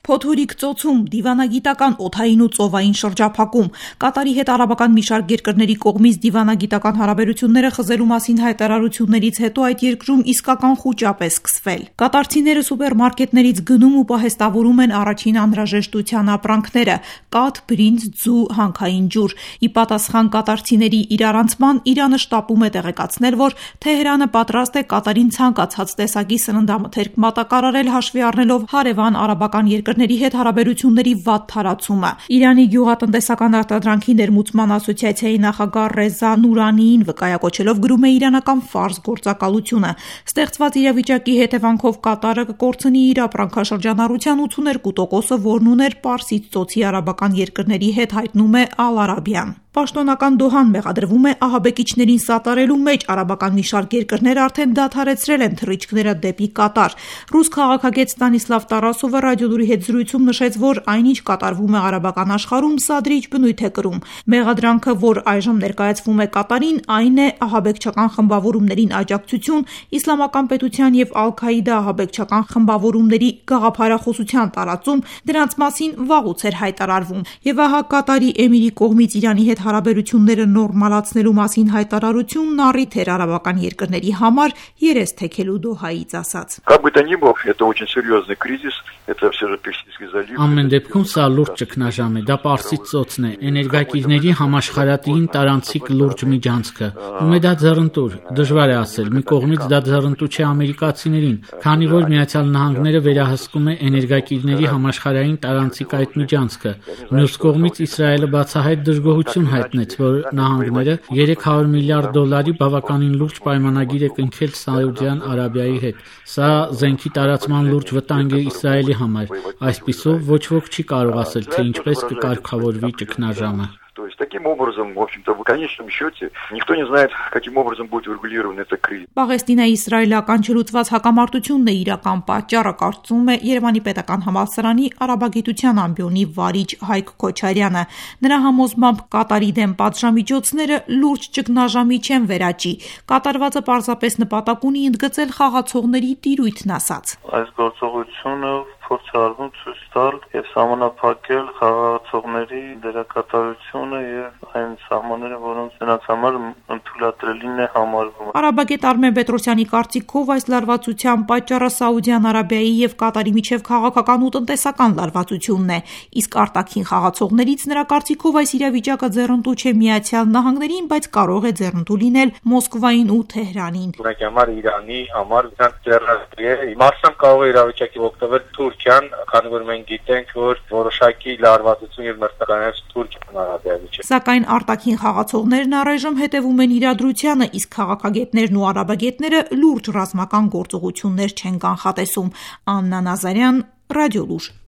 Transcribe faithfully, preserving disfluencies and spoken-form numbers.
Փոթորիկ ծոցում, դիվանագիտական օդային ու ծովային շրջափակում, Կատարի հետ արաբական մի շարք երկրների կողմից դիվանագիտական հարաբերությունները խզելու մասին հայտարարություններից հետո այդ երկրում իսկական խուճապ է սկսվել։ Կատարցիները սուպերմարկետներից գնում ու պահեստավորում են առաջին անհրաժեշտության ապրանքները՝ կաթ, բրինձ, ձու, հանքային ջուր։ Ի պատասխան կատարցիների իրարանցման Իրանը շտապում է տեղեկացնել, որ Թեհրանը պատրաստ է Կատարին ցանկացած տեսակի սննդամթերք մատակարարել, հաշվի առնելով հարևան արաբական երկրների հետ հարաբերությունների վատ թարացումը։ Իրանի գյուղատնտեսական արտադրանքի ներմուծման ասոցիացիայի նախագահ Ռեզա Նուրանիին վկայակոչելով գրում է իրանական ֆարս գործակալությունը։ Ստեղծված իրավիճակի հետևանքով Կատարը կկորցնի իր ապրանքաշրջանառության ութսուներկու տոկոսը, որն ուներ Պարսից ծոցի արաբական երկրների հետ, հայտնում է Ալ Արաբիան։ Պաշտոնական Դոհան մեղադրվում է ահաբեկիչներին սատարելու մեջ։ Արաբական մի շարք երկրներ արդեն դադարեցրել են թռիչքները դեպի Կատար։ Ռուս քաղաքագետ Ստանիսլավ Տարասովը ռադիոլուրի հետ զրույցում նշեց, որ այնինչ կատարվում է արաբական աշխարհում, սադրիչ բնույթ է կրում։ Մեղադրանքը, որ այժմ ներկայացվում է Կատարին, այն է ահաբեկչական խմբավորումներին աջակցություն, իսլամական պետության եւ Ալ-Քաիդա ահաբեկչական խմբավորումների գաղափարախոսության տարածում, դրանց մասին վաղուց էր հայտարարվում։ Եվ ահա Կատարի էմիրի կողմից Իրանի հետ հարաբերությունները նորմալացնելու մասին հայտարարությունն առիթ էր արաբական երկրների համար երես թեքելու Դոհայից ասած։ Ամեն դեպքում սա լուրջ ճգնաժամ է, դա Պարսից ծոցն է, էներգակիրների համաշխարհային տարանցիկ լուրջ միջանցքը։ Ում է դա ձեռնտուր։ Դժվար է ասել, մի կողմից դա ձեռնտու չէ ամերիկացիներին, քանի որ Միացյալ Նահանգները վերահսկում է էներգակիրների համաշխարհային տարանցիկ այդ միջանցքը։ Մյուս կողմից Իսրայելը բացահայտ դժգոհություն հայտնեց, որ նահանգները երեք հարյուր միլիարդ դոլարի բավականին լուրջ պայմանագիր է կնքել Սաուդյան Արաբիայի հետ։ Սա զենքի տարածման լուրջ վտանգ է Իսրայելի համար։ Այսպիսով ոչ ոք չի կարող ասել, թե ինչպես կկարգավորվի ճգնաժամը։ Таким образом, в общем-то, в конечном счете, никто не знает, каким образом будет урегулирован этот кризис. Պաղեստինա-իսրայելական չլուծված հակամարտությունն է իրական պատճառը, կարծում է Երևանի պետական համալսարանի արաբագիտության ամբիոնի վարիչ Հայկ Քոչարյանը։ Նրա համոզմամբ Կատարի դեմ պատժամիջոցները լուրջ ճգնաժամի չեն վերաճի։ Կատարվածը պարզապես նպատակ ունի ընդգծել խաղացողների տիրույթն ասած։ Այս գործողությունը փորձ արվում ցույց տալ եւ սահմանափակել խաղացողների դերակատարությունը եւ այն սահմանները, որոնց նրանց համար ընդունելին է համարվում։ Արաբագետ Արմեն Պետրոսյանի կարծիքով այս լարվածության պատճառը Սաուդյան Արաբիայի եւ Կատարի միջև քաղաքական ու տնտեսական լարվածությունն է, իսկ արտաքին խաղացողներից նրա կարծիքով այս իրավիճակը ձեռնտու չէ Միացյալ Նահանգներին, բայց կարող է ձեռնտու լինել Մոսկվային ու Թեհրանին։ Ուղղակի Իրանի համար ձեռնտու է, մասամբ կարող է իրավիճակի օգտվել Թուրքիան, քանի որ մենք գիտենք, որ որոշակի լարվածություն եւ մրցակցություններ Թուրքիան Արաբիայի միջեւ։ Սակայն արտաքին խաղացողներն առայժմ հետևում են իրադրությանը, իսկ քաղաքագետներն ու արաբագետները լուրջ ռազմական գործողություններ չեն կանխատեսում։ Աննա Նազարյան, Ռադիոլուր։